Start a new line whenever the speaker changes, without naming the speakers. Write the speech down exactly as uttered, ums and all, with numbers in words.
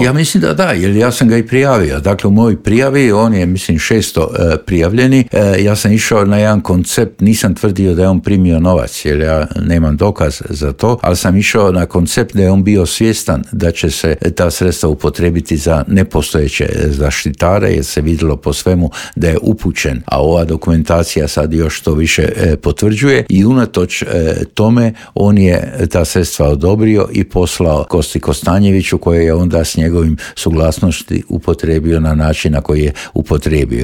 Ja mislim da da, jer ja sam ga i prijavio. Dakle, u mojoj prijavi, on je, mislim, šesto e, prijavljeni. E, ja sam išao na jedan koncept, nisam tvrdio da je on primio novac, jer ja nemam dokaz za to, ali sam išao na koncept da je on bio svjestan da će se ta sredstva upotrijebiti za nepostojeće zaštitare, jer se vidjelo po svemu da je upućen, a ova dokumentacija sad još to više e, potvrđuje i unatoč e, tome on je ta sredstva odobrio i poslao Kosti Kostanjeviću, koje je onda s njegovim suglasnosti upotrijebio na način na koji je upotrijebio.